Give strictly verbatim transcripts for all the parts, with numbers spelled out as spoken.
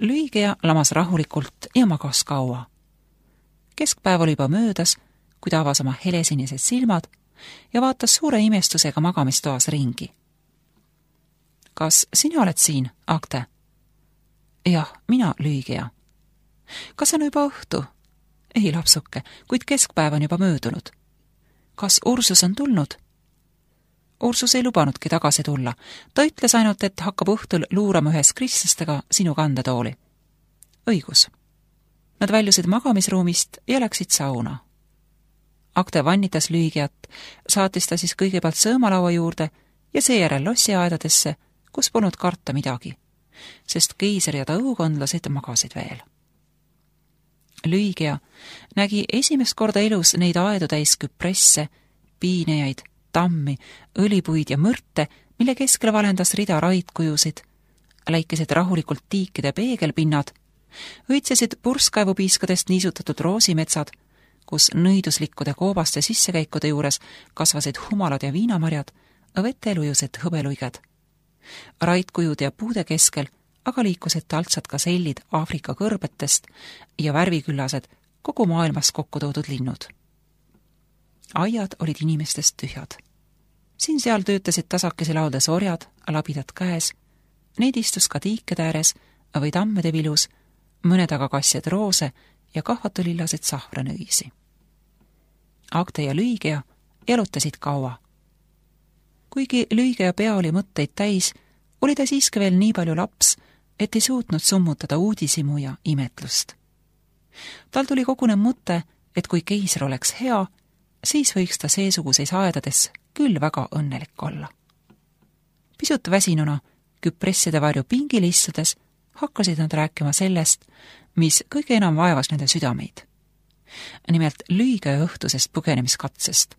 Lüigea lamas rahulikult ja magas kaua. Keskpäev oli juba möödas, kui ta avas oma helesinised silmad ja vaatas suure imestusega magamistoas ringi. Kas sina oled siin, Agte? Jah, mina, Lüigea. Kas on juba õhtu? Ei, lapsuke, kuid keskpäev on juba möödunud. Kas Ursus on tulnud? Ursus ei lubanudki tagasi tulla. Ta ütles ainult, et hakkab õhtul luurama ühes kristlastega sinu kandetooli. Õigus. Nad väljusid magamisruumist ja läksid sauna. Agte vannitas Lüigeat, saatis ta siis kõigepealt sõõmalaua juurde ja seejärel lossiaedadesse, kus polnud karta midagi, sest keiser ja ta õukondlased magasid veel. Lüigea nägi esimest korda elus neid aedu täis küpresse, piinejaid, tammi, õlipuid ja mõrte, mille keskel valendas rida raidkujusid, läikisid rahulikult tiikide peegelpinnad, õitsesid purskkaevupiiskadest niisutatud roosimetsad, kus nõiduslikkude koobaste sissekäikude juures kasvasid humalad ja viinamarjad, vetelujused hõbeluiged. Raidkujud ja puude keskel aga liikusid taltsad ka sellid Aafrika kõrbetest ja värviküllased kogu maailmas kokku toodud linnud. Aiad olid inimestest tühjad. Siin-seal töötasid tasakesi lauldes orjad, labidad käes, neid istus ka tiikede ääres või tammede vilus, mõned aga kassjad roose ja kahvatulillasid sahvranõisi. Agte ja Lüigea elutasid kaua. Kuigi Lüigea pea oli mõtteid täis, oli ta siiski veel nii palju laps, et ei suutnud summutada uudisimu ja imetlust. Tal tuli kogune mõte, et kui keiser oleks hea, siis võiks ta seesuguseis aedades küll väga õnnelik olla. Pisut väsinuna, küpresside varju pingil istudes, hakkasid nad rääkima sellest, mis kõige enam vaevas nende südameid. Nimelt Lüigea õhtusest põgenemiskatsest,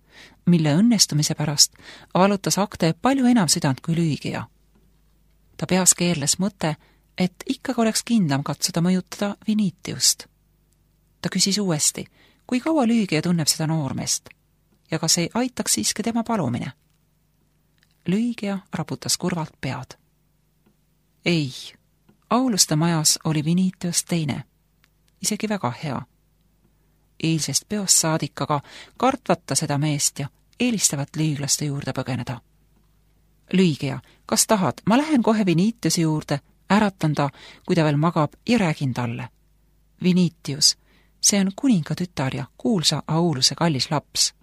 mille õnnestumise pärast valutas Agte palju enam südant kui Lüigea. Ta peas keerles mõte, et ikkagi oleks kindlam katsuda mõjutada Vinitiust. Ta küsis uuesti, kui kaua Lüigea tunneb seda noormeest ja kas ei aitaks siiski tema palumine. Lüigea raputas kurvalt pead. Ei, Auluste majas oli Vinitius teine, isegi väga hea. Eilsest peost saadik aga kartvata seda meest ja eelistavat lüiglaste juurde põgeneda. Lüigea, kas tahad, ma lähen kohe Vinitiuse juurde, äratan ta, kui ta veel magab ja räägin talle. Vinitius, see on kuninga tütar ja kuulsa Auluse kallis laps.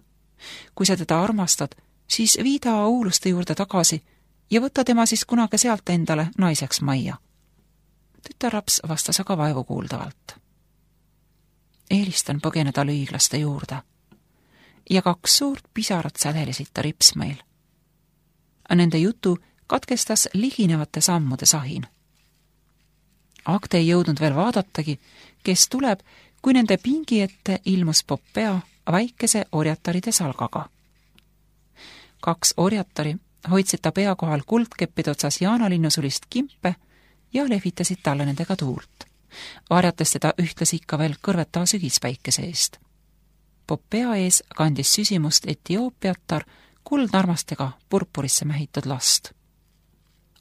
Kui sa teda armastad, siis viida Auluste juurde tagasi ja võta tema siis kunagi sealt endale naiseks majja. Tütarlaps vastas aga vaevu kuuldavalt. Eelistan põgeneda lüiglaste juurde. Ja kaks suurt pisarat sädelisid ta ripsmail. Nende jutu katkestas liginevate sammude sahin. Agte ei jõudnud veel vaadatagi, kes tuleb, kui nende pingi ette ilmus Popea väikese orjataride salgaga. Kaks orjatari hoidsid ta pea kohal kuldkeppide otsas jaanalinnusulist kimpe ja lehvitasid talle nendega tuult, varjates teda ühtlasi ikka veel kõrveta sügispäikese eest. Popea ees kandis süsimust Etioopiatar kuldnarmastega purpurisse mähitud last.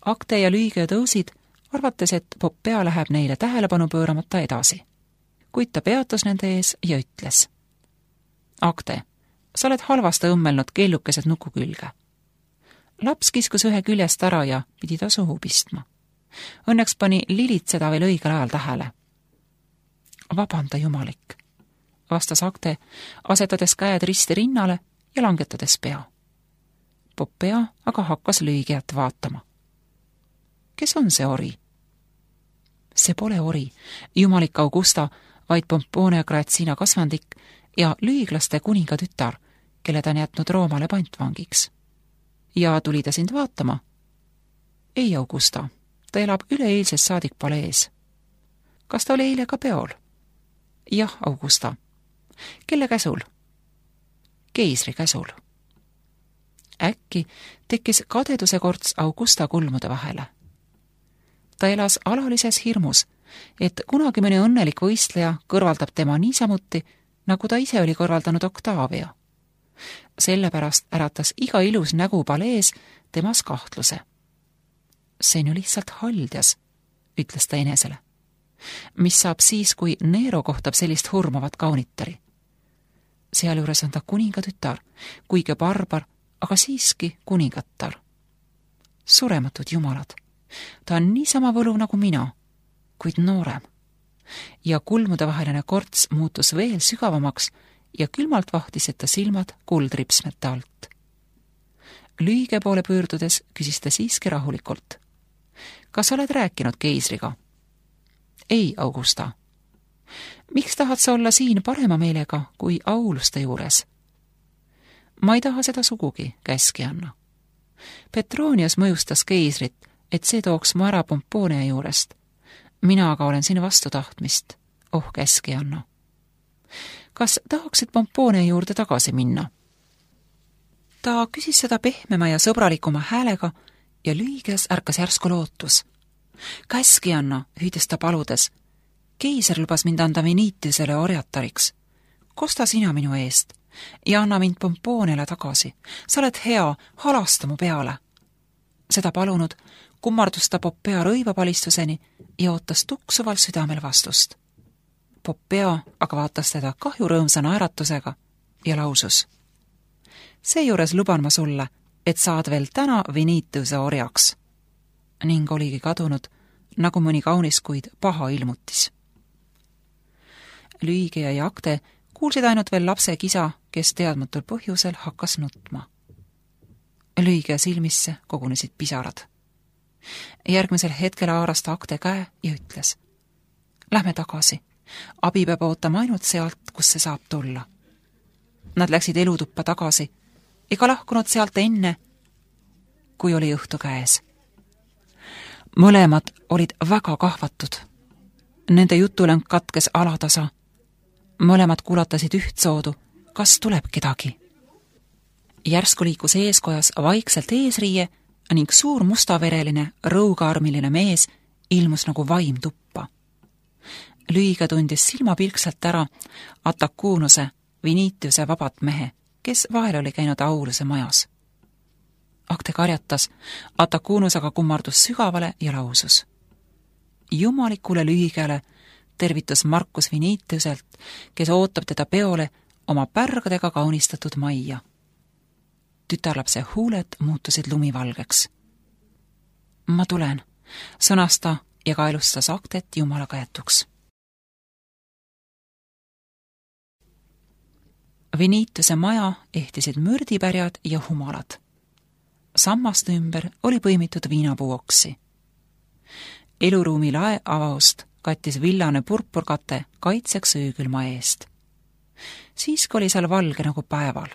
Agte ja Lüigea tõusid, arvates, et Popea läheb neile tähelepanu pööramata edasi. Kuid ta peatus nende ees ja ütles. Agte, sa oled halvasti õmmelnud keellukesed nuku külge. Laps kiskus ühe küljest ära ja pidi ta suhu pistma. Õnneks pani Lilit seda veel õigel ajal tähele. Vabanda jumalik, vastas Agte, asetades käed risti rinnale ja langetades pea. Popea aga hakkas Lüigeat vaatama. Kes on see ori? See pole ori, jumalik Augusta, vaid Pompone Grazina kasvandik ja lüiglaste kuninga tütar, kelle ta on jätnud Roomale pantvangiks. Ja tuli ta sind vaatama? Ei, Augusta, ta elab üleeilses saadik palees. Kas ta oli eile ka peol? Jah, Augusta. Kelle käsul? Keisri käsul. Äkki tekkis kadeduse korts Augusta kulmude vahele. Ta elas alalises hirmus, et kunagi mõni õnnelik võistleja kõrvaldab tema niisamuti, nagu ta ise oli kõrvaldanud Octavia. Sellepärast äratas iga ilus nägu palees temas kahtluse. See on ju lihtsalt haldjas, ütles ta enesele. mis saab siis, kui Nero kohtab sellist hurmavat kaunitari. Sealjuures on ta kuningatütar, kuigi barbar, aga siiski kuningatar. Surematud jumalad. Ta on niisama võluv nagu mina, kuid noorem. Ja kulmudevaheline korts muutus veel sügavamaks ja külmalt vahtisid ta silmad kuldripsmete alt. Lüüge poole pöördudes küsis ta siiski rahulikult. Kas oled rääkinud keisriga? Ei, Augusta. Miks tahad sa olla siin parema meelega kui auluste juures? Ma ei taha seda sugugi, käski Anna. Petronius mõjustas keisrit, et see tooks mu ära Pomponia juurest. Mina aga olen siin vastu tahtmist. Oh, käski Anna. Kas tahaksid Pomponia juurde tagasi minna? Ta küsis seda pehmema ja sõbralikuma häälega ja lüüges ärkas järsku lootus. Käski Anna, hüüdis ta paludes. Keiser lubas mind anda Venitiusele orjatariks. Kosta sina minu eest ja anna mind Pomponiale tagasi. Sa oled hea, halasta mu peale. Seda palunud, kummardus ta Poppea rõivapalistuseni ja ootas tuksuval südamel vastust. Poppea aga vaatas teda kahjurõõmsa naeratusega ja lausus. Seejuures luban ma sulle, et saad veel täna Venitiuse orjaks. Ning oligi kadunud, nagu mõni kaunis kuid paha ilmutis. Lüüge ja Jakte kuulsid ainult veel lapse kisa, kes teadmatul põhjusel hakkas nutma. Lüüge silmisse kogunesid pisarad. Järgmisel hetkel haaras ta Akte käe ja ütles. Lähme tagasi. Abi peab ootama ainult sealt, kus see saab tulla. Nad läksid elutuppa tagasi ega lahkunud sealt enne, kui oli õhtu käes. Mõlemad olid väga kahvatud. Nende jutulõng katkes alatasa. Mõlemad kuulatasid ühtsoodu, kas tuleb kedagi. Järsku liikus eeskojas vaikselt eesriie ning suur mustavereline, rõugaarmiline mees ilmus nagu vaim tuppa. Lüüga tundis silmapilkselt ära Atakuunuse, Venitiuse vabat mehe, kes vahel oli käinud Auluse majas. Akte karjatas, Atakuunus aga kummardus sügavale ja lausus. Jumalikule Lüügele tervitus Markus Venitiuselt, kes ootab teda peole oma pärgadega kaunistatud majja. Tütarlapse huuled muutusid lumivalgeks. Ma tulen, sõnas ta ja kaelustas Aktet Jumala käetuks. Venitiuse maja ehtisid mürdipärjad ja humalad. Sammaste ümber oli põimitud viinapuuoksi. Eluruumi lae avaust kattis villane purpurkate kaitseks öökülma eest. Siiski oli seal valge nagu päeval.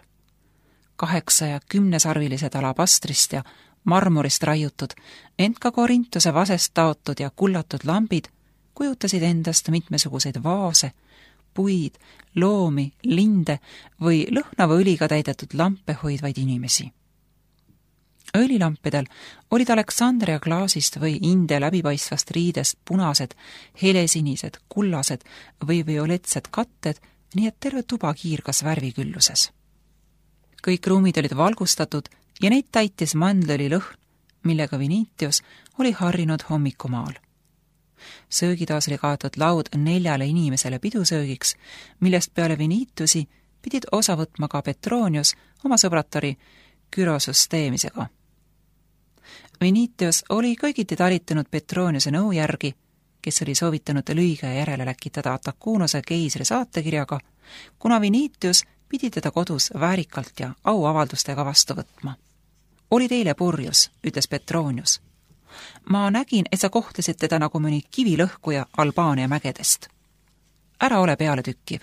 Kaheksa- ja kümnesarvilised alabastrist ja marmorist raiutud, ent ka korintuse vasest taotud ja kullatud lambid kujutasid endast mitmesuguseid vaase, puid, loomi, linde või lõhnava õliga täidetud lampe hoidvaid inimesi. Õlilampidel olid Aleksandria klaasist või India läbipaistvast riidest punased, helesinised, kullased või violetsed katted, nii et terve tuba kiirgas värvikülluses. Kõik ruumid olid valgustatud ja neid täitis mandlõli lõhn, millega Venitius oli harrinud hommikumaal. Söögitaas oli kaetud laud neljale inimesele pidusöögiks, millest peale Venitiusi pidid osa võtma ka Petronius oma sõbratari Kyrosus teemisega. Venitius oli kõigiti talitunud Petroniuse nõu järgi, kes oli soovitanud Lüüga järele läkitada Atakuunuse keisri saatekirjaga, kuna Venitius pidi teda kodus väärikalt ja auavaldustega vastu võtma. Oli teile purjus, ütles Petronius. Ma nägin, et sa kohtlesid teda nagu mõni kivilõhkuja Albaania mägedest. Ära ole peale tükkiv.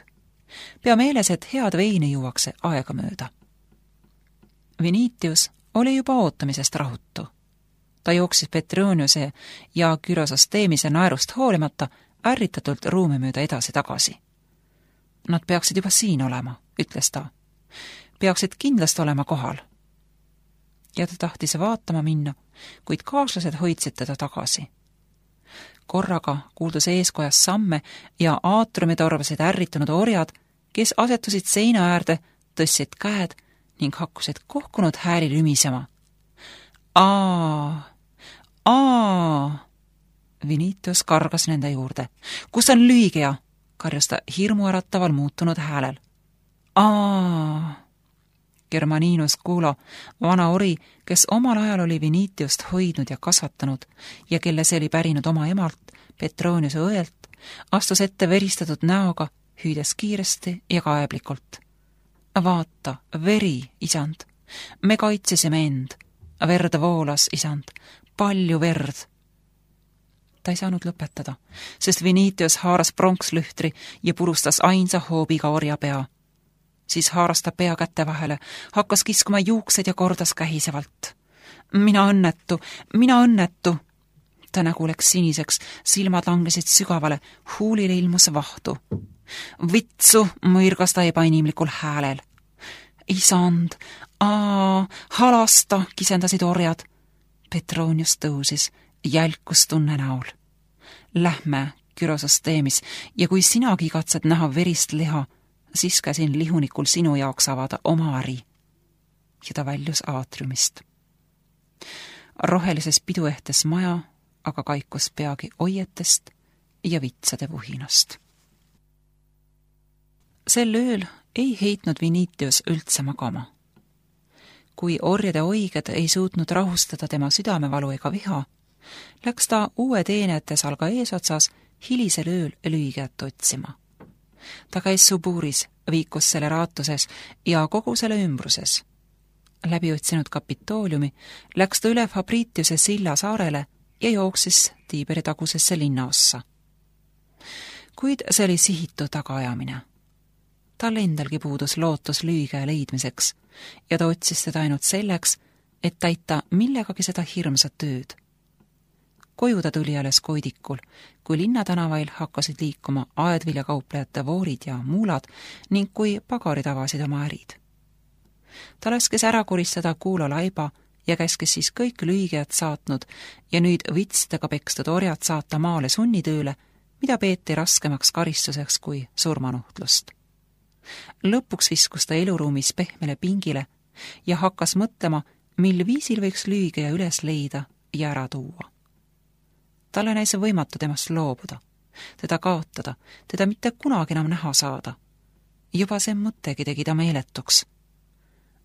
Pea meeles, et head veini juuakse aega mööda. Venitius oli juba ootamisest rahutu. Ta jooksis Petroniuse ja Kyrosos teemise naerust hoolimata ärritatult ruumi mööda edasi-tagasi. Nad peaksid juba siin olema, ütles ta. Peaksid kindlasti olema kohal. Ja ta tahtis vaatama minna, kuid kaaslased hoidsid teda tagasi. Korraga kuuldus eeskojas samme ja aatrumi torvasid ärritunud orjad, kes asetusid seina äärde, tõstsid käed ning hakkusid kohkunud hääli lümisema. Aa, aa, Vinitius kargas nende juurde. Kus on Lüügia? Karjus ta hirmuärataval muutunud häälel. Aa! Germaninus Kuulo, vana ori, kes omal ajal oli Vinitiust hoidnud ja kasvatanud ja kelle see oli pärinud oma emalt, Petroniuse õelt, astus ette veristatud näoga, hüüdes kiiresti ja kaeblikult. Vaata, veri, isand. Me kaitsesime end. Verd voolas, isand. Palju verd. Ta ei saanud lõpetada, sest Vinitius haaras pronkslühtri ja purustas ainsa hoobiga orja pea. Siis haaras ta pea kätte vahele, hakkas kiskuma juuksed ja kordas kähisevalt. Mina õnnetu, mina õnnetu. Ta nägu läks siniseks, silmad langesid sügavale, huulile ilmus vahtu. Vitsu, mõirgas ta ebainimlikul häälel. Isand, aa, halasta, kisendasid orjad. Petronius tõusis, jälkus tunne näol. Lähme, kürosus teemis, ja kui sinagi katsed näha verist liha, siis käsin lihunikul sinu jaoks avada oma äri. Ja ta väljus aatriumist. Rohelises piduehtes maja, aga kaikus peagi oietest ja vitsade vuhinast. Sel ööl ei heitnud Vinitius üldse magama. Kui orjade oiged ei suutnud rahustada tema südamevalu ega viha, läks ta uue teenete salga eesotsas hilisel ööl Lüügiat otsima. Ta käis Suburis, viikus selle raatuses ja kogu selle ümbruses. Läbi otsinud Kapitooliumi läks ta üle Fabritiuse silla saarele ja jooksis Tiiberi tagusesse linnaossa. Kuid see oli sihitu tagaajamine. Tal endalgi puudus lootus Lüügia leidmiseks ja ta otsis teda ainult selleks, et täita millegagi seda hirmsat tööd. Koju ta tuli alles koidikul, kui linnatänavail hakkasid liikuma aedviljakauplejate voorid ja muulad ning kui pagarid avasid oma ärid. Ta laskes ära koristada Kuulo laiba ja käskes siis kõik Lüügiat saatnud ja nüüd vitstega pekstud orjad saata maale sunnitööle, mida peeti raskemaks karistuseks kui surmanuhtlust. Lõpuks viskus ta eluruumis pehmele pingile ja hakkas mõtlema, mil viisil võiks Lüügia üles leida ja ära tuua. Talle näis võimatu temast loobuda, teda kaotada, teda mitte kunagi enam näha saada. Juba see mõttegi tegi ta meeletuks.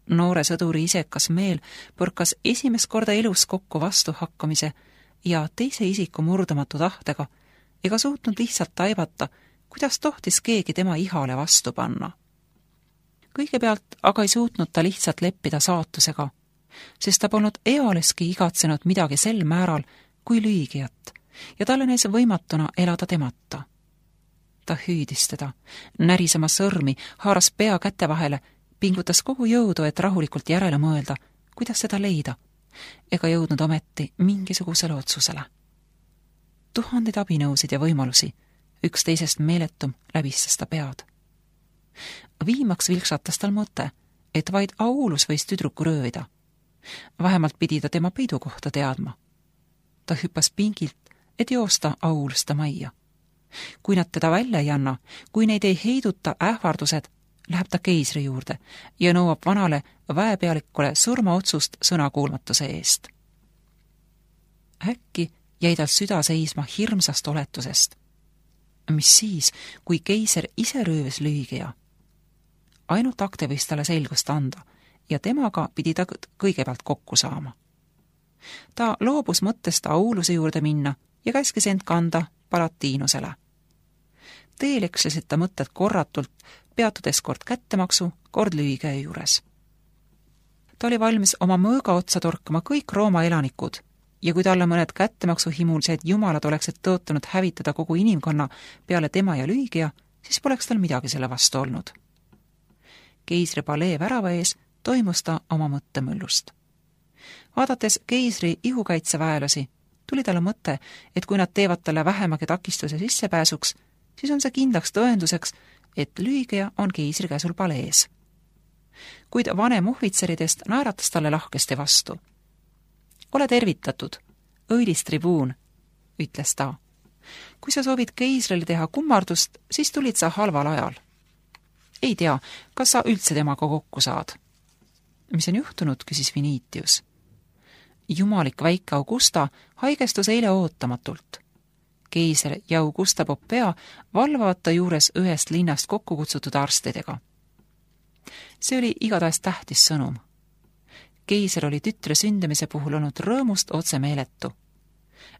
Noore sõduri isekas meel põrkas esimest korda elus kokku vastu hakkamise ja teise isiku murdumatu tahtega ega suutnud lihtsalt taibata, kuidas tohtis keegi tema ihale vastu panna. Kõigepealt aga ei suutnud ta lihtsalt leppida saatusega, sest ta polnud ealeski igatsenud midagi sel määral kui Lüügiat ja talle näis võimatuna elada temata. Ta hüüdis teda, närisema sõrmi, haaras pea kätte vahele, pingutas kogu jõudu, et rahulikult järele mõelda, kuidas seda leida, ega jõudnud ometi mingisugusele otsusele. Tuhandeid abinõusid ja võimalusi, üks teisest meeletum läbistas ta pead. Viimaks vilksatas tal mõte, et vaid Aulus võis tüdruku röövida. Vähemalt pidi ta tema peidukohta teadma. Ta hüppas pingilt, et joosta Aulusta majja. Kui nad teda välja ei anna, kui neid ei heiduta ähvardused, läheb ta keisri juurde ja nõuab vanale väepealikule surmaotsust sõnakuulmatuse eest. Äkki jäi tal süda seisma hirmsast oletusest. Mis siis, kui keiser ise röövis Lüügia? Ainult akte võis talle selgust anda ja temaga pidi ta kõigepealt kokku saama. Ta loobus mõttest Auluse juurde minna ja käskis end kanda Palatiinusele. Teel ekslesid ta mõtted korratult, peatudes kord kättemaksu, kord Lüügia juures. Ta oli valmis oma mõõga otsa torkama kõik Rooma elanikud ja kui talle mõned kättemaksu himulised jumalad oleksid tõotanud hävitada kogu inimkonna peale tema ja Lüügia, siis poleks tal midagi selle vastu olnud. Keisri palee värava ees toimus ta oma mõttemõllust. Vaadates keisri ihukaitseväelasi, tuli talle mõte, et kui nad teevad talle vähemagi takistuse sissepääsuks, siis on see kindlaks tõenduseks, et Lüügia on keisri käsul palees. Kuid vanem ohvitseridest naeratas talle lahkesti vastu. Ole tervitatud, õilis tribuun, ütles ta. Kui sa soovid keisrile teha kummardust, siis tulid sa halval ajal. Ei tea, kas sa üldse temaga kokku saad. Mis on juhtunud, küsis Vinitius. Jumalik väike Augusta haigestus eile ootamatult. Keiser ja Augusta Popea valvavad ta juures ühest linnast kokku kutsutud arstidega. See oli igatahes tähtis sõnum. Keiser oli tütre sündimise puhul olnud rõõmust otse meeletu.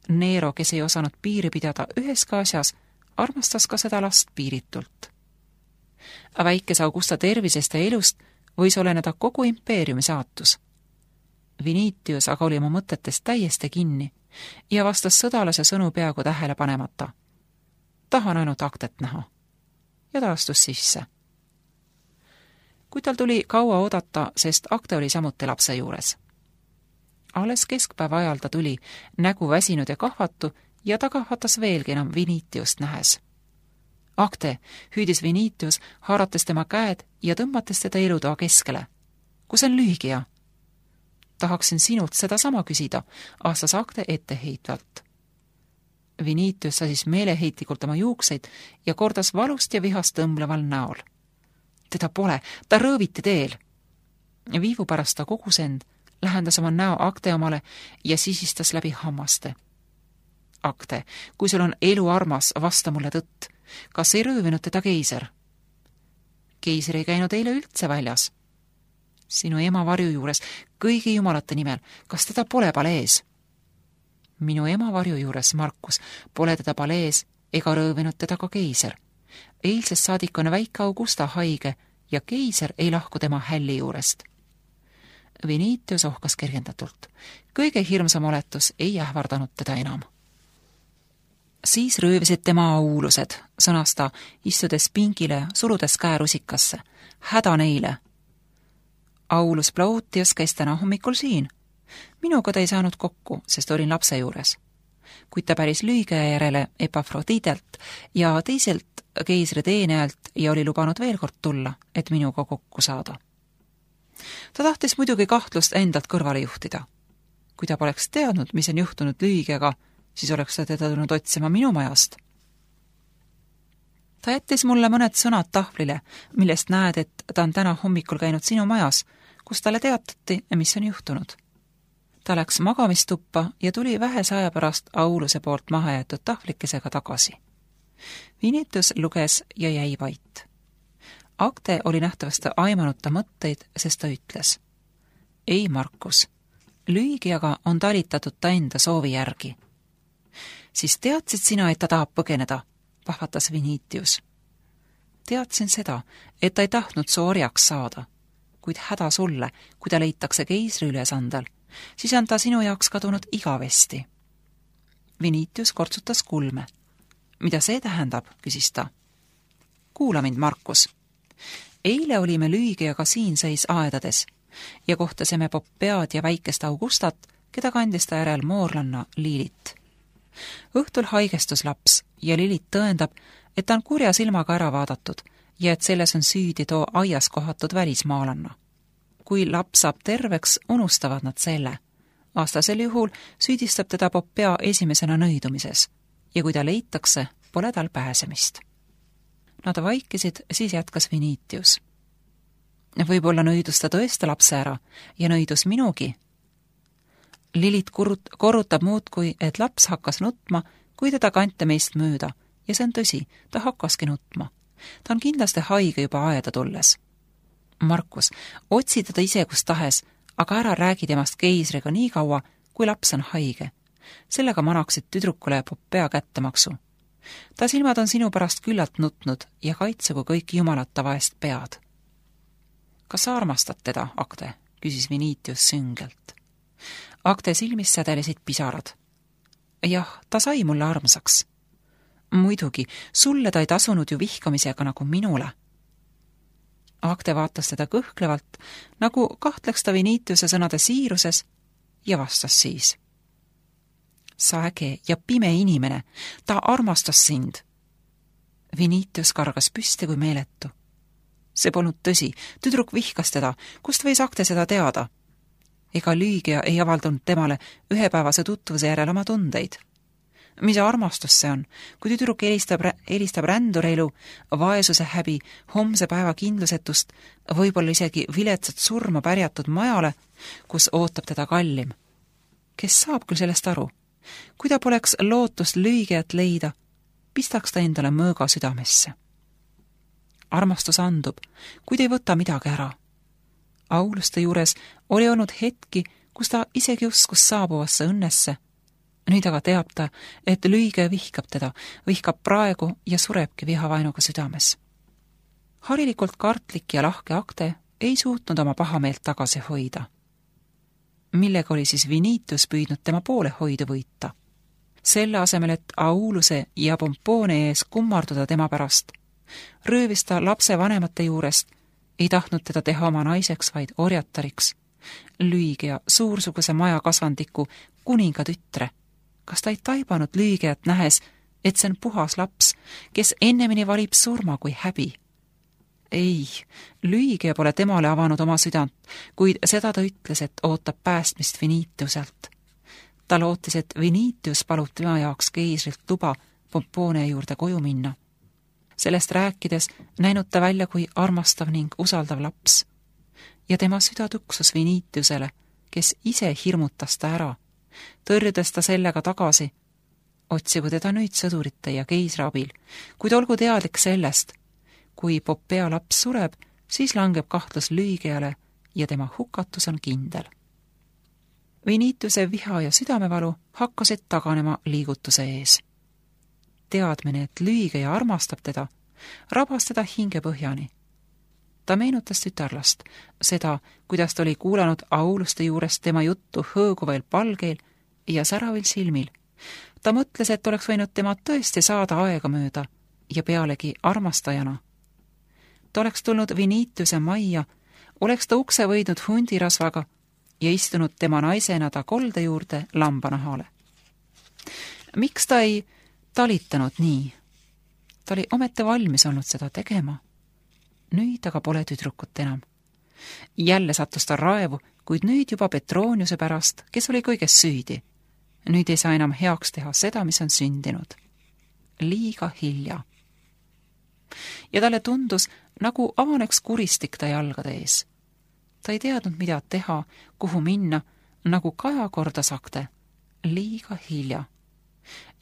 Nero, kes ei osanud piiri pidada üheski asjas, armastas ka seda last piiritult. Väikese Augusta tervisest ja elust võis oleneda kogu impeeriumi saatus. Vinitius aga oli oma mõtetest täiesti kinni ja vastas sõdalase sõnu peaaegu tähele panemata. Tahan ainult aktet näha. Ja ta astus sisse. Kui tal tuli kaua oodata, sest akte oli samuti lapse juures. Alles keskpäeva ajal ta tuli, nägu väsinud ja kahvatu, ja ta kahvatas veelgi enam Vinitiust nähes. Akte, hüüdis Vinitius, haarates tema käed ja tõmbates teda elutoa keskele. Kus on Lüügia? Tahaksin sinult seda sama küsida, aastas Akte etteheitvalt. Vinitius sasis meeleheitlikult oma juukseid ja kordas valust ja vihast tõmbleval näol. Teda pole, ta rõõviti teel. Viivu pärast ta kogus end, lähendas oma näo Akte omale ja sisistas läbi hammaste. Akte, kui sul on elu armas, vasta mulle tõtt. Kas ei röövinud teda keiser? Keiser ei käinud eile üldse väljas. Sinu ema varju juures, kõigi jumalate nimel, kas teda pole palees? Minu ema varju juures, Markus, pole teda palees ega röövinud teda ka keiser. Eilsest saadik on väike Augusta haige ja keiser ei lahku tema hälli juurest. Vinitius ohkas kergendatult. Kõige hirmsam oletus ei ähvardanud teda enam. Siis röövisid tema aulused, sõnas ta, istudes pingile, surudes käe rusikasse. Häda neile! Aulus Plautius käis täna hommikul siin. Minuga ta ei saanud kokku, sest olin lapse juures. Kuid ta päris Lüügia järele Epafroditelt ja teiselt keisri teenejalt ja oli lubanud veel kord tulla, et minuga kokku saada. Ta tahtis muidugi kahtlust endalt kõrvale juhtida. Kui ta poleks teadnud, mis on juhtunud Lüügiaga, siis oleks ta teda tulnud otsima minu majast. Ta jättis mulle mõned sõnad tahvlile, millest näed, et ta on täna hommikul käinud sinu majas, kus talle teatati, mis on juhtunud. Ta läks magamistuppa ja tuli vähese aja pärast Auluse poolt maha jäetud tahvlikesega tagasi. Vinitius luges ja jäi vait. Akte oli nähtavasti aimanud ta mõtteid, sest ta ütles. Ei, Markus, Lüügiaga on talitatud ta enda soovi järgi. Siis teadsid sina, et ta tahab põgeneda, pahvatas Vinitius. Teadsin seda, et ta ei tahtnud su orjaks saada, kuid häda sulle, kui ta leitakse keisri ülesandel, siis on ta sinu jaoks kadunud igavesti. Vinitius kortsutas kulme. Mida see tähendab, küsis ta. Kuula mind, Markus. Eile olime Lüügiaga siin seis aedades ja kohtasime Popead ja väikest Augustat, keda kandis ta järel moorlanna Lilit. Õhtul haigestus laps ja Lilit tõendab, et ta on kurja silmaga ära vaadatud ja et selles on süüdi too aias kohatud välismaalanna. Kui laps saab terveks, unustavad nad selle. Vastasel juhul süüdistab teda Popea esimesena nõidumises ja kui ta leitakse, pole tal pääsemist. Nad vaikisid, siis jätkas Vinitius. Võib-olla nõidus ta tõesti lapse ära ja nõidus minugi. Lilit kurut, korrutab muudkui, et laps hakkas nutma, kui teda kante meist mööda ja see on tõsi, ta hakkaski nutma. Ta on kindlasti haige juba aeda tulles. Markus, otsi teda ise kus tahes, aga ära räägi temast keisriga nii kaua, kui laps on haige. Sellega manaksid tüdrukule Popea kättemaksu. Ta silmad on sinu pärast küllalt nutnud ja kaitsegu kõik jumalata vaest pead. Kas sa armastad teda, Akte? Küsis Vinitius süngelt. Akte silmis sädelesid pisarad. Jah, ta sai mulle armsaks. Muidugi, sulle ta ei tasunud ju vihkamisega nagu minule. Akte vaatas teda kõhklevalt, nagu kahtleks ta Vinitiuse sõnade siiruses ja vastas siis. Sa äge ja pime inimene, ta armastas sind. Vinitius kargas püsti kui meeletu. See polnud tõsi, tüdruk vihkas teda, kust võis Akte seda teada? Ega Lüügia ei avaldanud temale ühepäevase tutvuse järel oma tundeid. Mis armastus see on, kui tüdruk helistab, helistab rändureilu, vaesuse häbi, homse päeva kindlusetust, võib-olla isegi viletsat surma pärjatud majale, kus ootab teda kallim. Kes saab küll sellest aru? kui ta poleks lootust lüügijat leida, pistaks ta endale mõõga südamesse. Armastus andub, kuid ei võta midagi ära. Auluste juures oli olnud hetki, kus ta isegi uskus saabuvasse õnnesse. Nüüd aga teab ta, et lüüge vihkab teda, vihkab praegu ja surebki vihavaenuga südames. Harilikult kartlik ja lahke akte ei suutnud oma pahameelt tagasi hoida. Millega oli siis Vinitus püüdnud tema poole hoidu võita? Selle asemel, et Auluse ja Pompoone ees kummarduda tema pärast, röövis ta lapse vanemate juurest, ei tahtnud teda teha oma naiseks, vaid orjatariks, lüügija suursuguse maja kasvandiku kuninga tütre. Kas ta ei taibanud lüügijat nähes, et see on puhas laps, kes ennemini valib surma kui häbi? Ei, lüügija pole temale avanud oma südant, kuid seda ta ütles, et ootab päästmist Vinituselt. Ta lootis, et Vinitius palub tema jaoks keisrilt luba Pompoone juurde koju minna. Sellest rääkides näinud ta välja kui armastav ning usaldav laps. Ja tema süda tuksus Vinitiusele, kes ise hirmutas ta ära, tõrjudes ta sellega tagasi. Otsigu teda nüüd sõdurite ja keisri abil, kuid olgu teadlik sellest, kui Popea laps sureb, siis langeb kahtlus lüügijale ja tema hukatus on kindel. Vinituse viha ja südamevalu hakkasid taganema liigutuse ees. Teadmine, et lüügija armastab teda, rabas teda hinge põhjani. Ta meenutas tütarlast, seda, kuidas ta oli kuulanud Auluste juurest tema juttu hõõguvail palgeel ja säravil silmil. Ta mõtles, et oleks võinud tema tõesti saada aega mööda ja pealegi armastajana. Ta oleks tulnud Vinituse majja, oleks ta ukse võidnud hundirasvaga ja istunud tema naisena ta kolde juurde lambanahale. Miks ta ei talitanud nii? Ta oli ometi valmis olnud seda tegema. Nüüd aga pole tüdrukut enam. Jälle sattus ta raevu, kuid nüüd juba Petroniuse pärast, kes oli kõiges süüdi. Nüüd ei saa enam heaks teha seda, mis on sündinud. Liiga hilja. Ja talle tundus, nagu avaneks kuristik ta jalgade ees. Ta ei teadnud, mida teha, kuhu minna, nagu kaja kordas akte. Liiga hilja.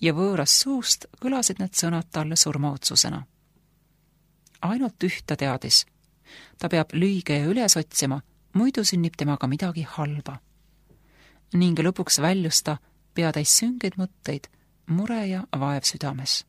Ja võõras suust kõlasid need sõnad talle surmaotsusena. Ainult ühta teadis. Ta peab lüügeja üles otsima, muidu sünnib temaga midagi halba. Ning lõpuks väljus ta peatäis süngeid mõtteid, mure ja vaev südames.